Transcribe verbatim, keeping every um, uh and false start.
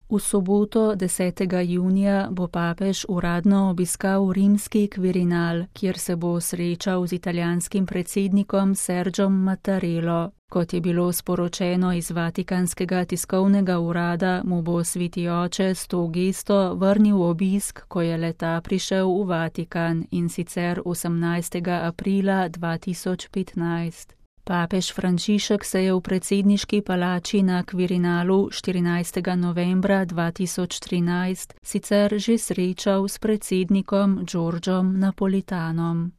V soboto desetega junija bo papež uradno obiskal rimski Quirinal, kjer se bo srečal z italijanskim predsednikom Sergiom Mattarello. Kot je bilo sporočeno iz Vatikanskega tiskovnega urada, mu bo sveti oče s to gesto vrnil obisk, ko je le-ta prišel v Vatikan, in sicer osemnajstega aprila dva tisoč petnajst. Papež Frančišek se je v predsedniški palači na Quirinalu štirinajstega novembra dva tisoč trinajst sicer že srečal s predsednikom Giorgiom Napolitanom.